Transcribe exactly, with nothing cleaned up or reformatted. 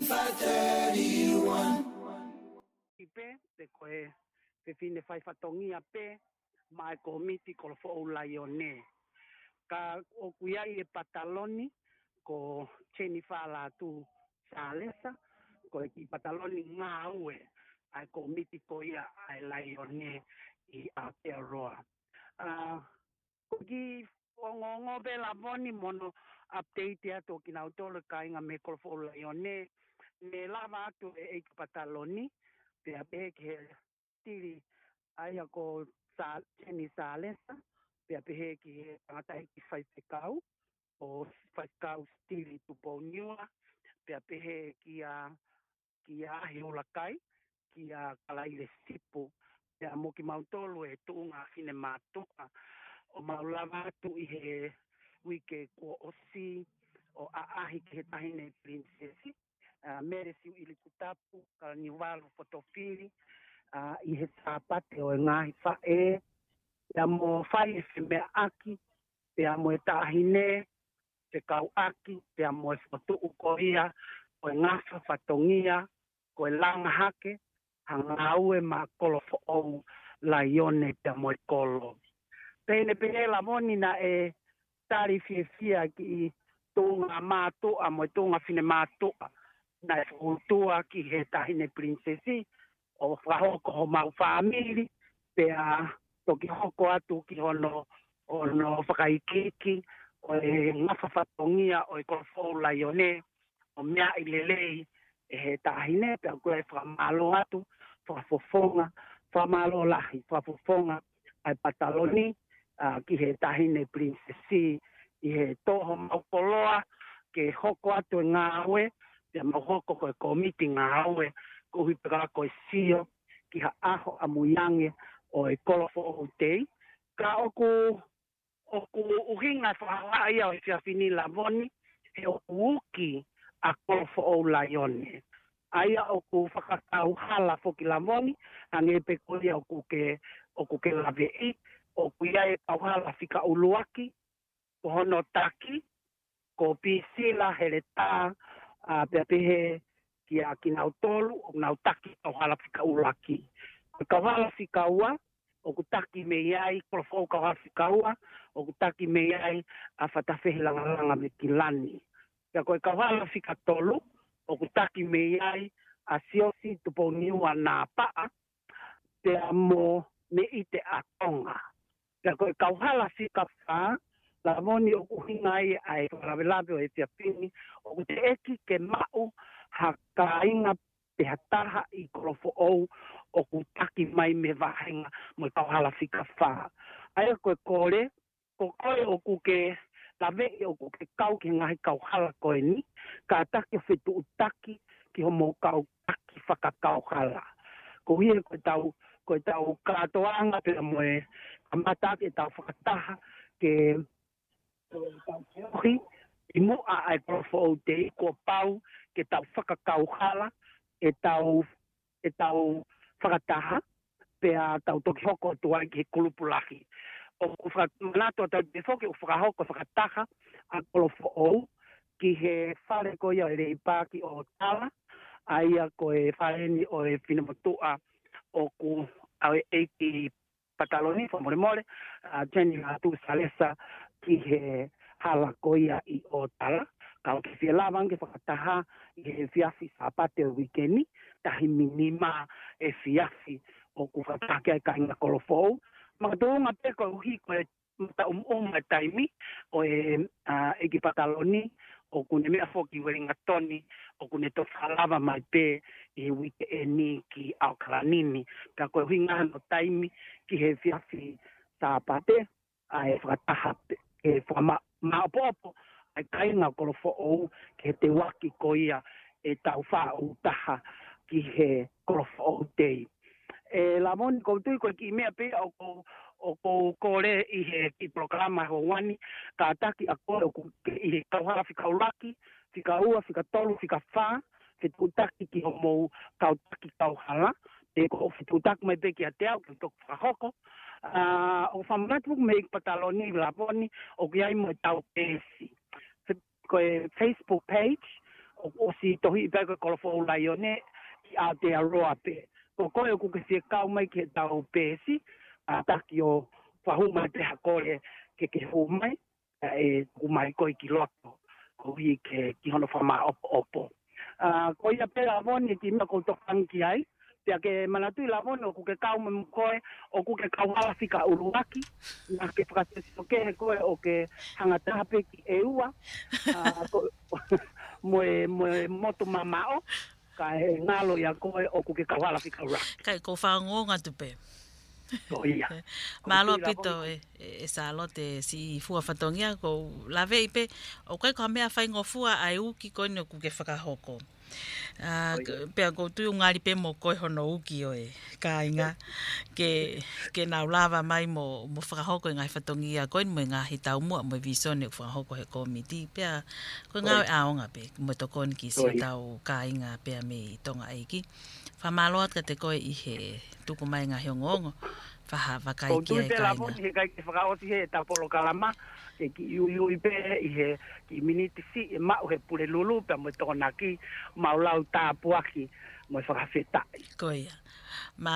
five thirty-one. Pē, pe ko e fefine faifatongia pē, maʻa e kōmiti Kolofoʻou Laione. Ka ʻoku ʻi ai e pataloni, ko Jennifer Lātū Salesa, ko e kiʻi pataloni ngāue ʻa e kōmiti ko ia ʻa e Laione ʻi Aotearoa. ʻA, ko e kiʻi ongoongo pē Lavoni mo hono update atu ʻo kinautolu e kāinga mei Kolofoʻou Laione, ne lava atu e ʻeiki pataloni, pea pehē ki he sitili ʻa ia ko Sa-, Jenny Salesa, pea pehē ki he tangataʻeiki faifekau, ʻo Faifekau Sitili Tupouniua, pea pehē kia, kia Ahi ʻUlakai, kia Kalaile Sipu, pea mo kimautolu e tuʻunga finemātuʻa, ʻo mau lava atu ʻi he uike kuo ʻosi, ʻo ʻaʻahi ki he Taʻahine Pilinisesi, ʻa, Mele Siuʻilikutapu Kalaniuvalu Fotofili, ʻa, ʻi he Sāpate ʻo e ngaahi faʻē, pea mo fai e femeʻaʻaki, pea mo e taʻahine fekauʻaki, pea mo e fokotuʻu ko ia ʻo e ngafa fatongia, ko e langa hake ha ngāue maʻa Kolofoʻou Laione pea mo e kolo. Pea ne pehē Lavoni naʻe tali fiefia kiʻi tuʻunga mātuʻa mo e tuʻunga finemātuʻa naʻe fokotuʻu ki he Taʻahine Pilinisesi, ʻo fakahoko homau fāmili, pea toki hoko atu ki hono, hono fakaikiiki ʻo e ngafa fatongia ʻo e Kolofoʻou Laione, ʻo meaʻi lelei ʻe he taʻahine, pea ʻoku ou fakamālō atu, fakafofonga, fakamālō lahi, fakafofonga ʻa e pataloni, ʻa, ki he Taʻahine Pilinisesi, ʻi he tō homau koloa ke hoko atu e ngāue, pea mau hoko ko e kōmiti ngāue, koeʻuhi pē ka ko e sio ki ha ʻaho ʻamuiange ʻo e Kolofoʻou Tei. Ka ʻoku, ʻoku ʻuhinga e fakahā ia ʻo e efiafi ni Lavoni, he ʻoku uki ʻa Kolofoʻou Laione. ʻA ia ʻoku fakakauhala foki Lavoni, hangē pē ko ia ʻoku ke, ʻoku ke laveʻi, ʻoku ʻi ai e kauhala fika ʻuluaki, ko hono taki, ko Pisila Heletā, ʻa, pea pehē kia kinautolu, ʻoku nau taki kauhala fika ʻuluaki. Ko e kauhala fika ua, ʻoku taki mei ai, Kolofoʻou kauhala fika ua, ʻoku taki mei ai ʻa Fatafehi Langalanga Vekilani. Pea ko e kauhala fika tolu, ʻoku taki mei ai ʻa Siosi Tupouniua Nāpaʻa, pea mo Meʻite ʻa Tonga. Pea ko e kauhala fika fā, Lavoni, ʻoku ʻuhinga ia ʻa e fakalavelave ʻo e efiafi ni, ʻoku teʻeki ke maʻu ha kāinga pe ha taha ʻi Kolofoʻou ʻoku taki mai mei he vāhenga mo e kauhala fika fā. ʻA ia ko e kole, ko koe ʻoku ke laveʻi ʻoku ke kau ki he ngaahi kauhala ko eni, kātaki ʻo fetuʻutaki ki hoʻomou kau taki fakakauhala. Koeʻuhi he ko ʻetau, ko ʻetau kātoanga pea mo e kamata ʻaki ʻetau fakataha ke tau feohi ʻi muʻa ʻa e Kolofoʻou Tei, kuo pau ke tau fakakauhala ʻetau, ʻetau fakataha, pea tau toki hoko atu ai ki he kulupu lahi. ʻOku faka-, manatu atu pē foki ʻoku fakahoko e fakataha ʻa Kolofoʻou ki he fale ko ia ʻo e Leipa ʻi ʻOtala, ʻa ia ko e fale ni ʻo e finemotuʻa ʻoku ʻave ʻe he ʻeiki pataloni, fakamolemole, ʻa Jenny Lātū Salesa ki he hala ko ia ʻi ʻOtala. Ka ʻoku ke fie lava ange ke fakataha ʻi he efiafi Sāpate ʻo e uike ni, taimi nima efiafi ʻoku fakataha ki ai e kāinga Kolofoʻou. Makatuʻunga pē koeʻuhi ko e mataʻumaʻuma e taimi ʻo e, ʻa, ʻeiki pataloni, ʻoku ne meʻa foki Uelingatoni, ʻoku ne toki fakalava mai pē ʻi he uike eni ki ʻAokalani ni. Pea ko e ʻuhinga hono taimi ki he efiafi Sāpate, ʻa e fakataha pē, ke fakama-, maʻopoʻopo ʻa e kāinga Kolofoʻou ki he teuaki ko ia ʻetau faʻu taha ki he Kolofoʻou Tei. ʻE Lavoni, ʻoku ou tui ko e kiʻi meʻa pē ʻoku ou, ʻoku ou kole ʻi he kiʻi polokalama houa ni, kātaki ʻa koe ʻoku ke ʻi he kauhala fika ʻuluaki, fika ua, fika tolu, fika fā, fetuʻutaki ki hoʻomou kau taki kauhala, pe ko e fetuʻutaki mai pē kiate au, ke u toki fakahoko. ʻA, ʻoku ou fakamanatu foki mei he pataloni Lavoni, ʻoku ʻi ai mo ʻetau peesi. Fe-, ko e Facebook page, ʻoku ʻosi tohi pē ko e Kolofoʻou Laione ki Aotearoa pē. Ko koe ʻoku ke fie kau mai ki heʻetau peesi, ʻa, taki ʻo fakahū mai pē ha kole ke ke hū mai, ʻa, ʻe tuku mai koe ki loto, koeʻuhi ke ki hono fakamaʻopoʻopo. ʻA, ko ia pē Lavoni e kiʻi meʻa ʻoku ou tokanga ki ai, pea ke manatuʻi Lavoni ʻoku ke kau mo koe, ʻoku ke kauhala fika ʻuluaki, naʻa ke fakasesio kehe koe ʻo ke hanga taha pē ki ʻEua, ʻa, ko, mo e, mo e motu mamaʻo, ka ʻe ngalo ia koe ʻoku ke kauhala fika ʻuluaki. Kai ko fangonga tu pē. Ko ia. Mālō ʻaupito e, e, e Sālote siʻi fua fatongia ko u laveʻi pē, ʻoku ʻikai ko ha meʻa faingofua ʻa e uki ko eni ʻoku ke fakahoko. ʻA, pea ʻoku ou tui ʻoku ngali pē mo koe hono uki ʻo e kāinga. Ke, ke nau lava mai mo, mo fakahoko e ngaahi fatongia ko eni mo e ngaahi taumuʻa mo e visone ʻoku fakahoko he kōmiti. Pea ko e ngāue ʻaonga pē, mo e tokoni ki siʻotau kāinga pea mei Tonga ʻEiki. Fakamālō atu kiate koe ʻi he tuku mai ngaahi ongoongo. Faha, vakai ki ai kāinga. Ko u tui pē Lavoni he ʻikai ke fakaʻosi he ʻetau polokalama, ke kiʻi uiui pē ʻi he kiʻi miniti siʻi ʻe maʻu he Pulelulu, pea mo e Tokonaki, mau lau tāpuaki, mo e fakafetaʻi. Ko ia. Mā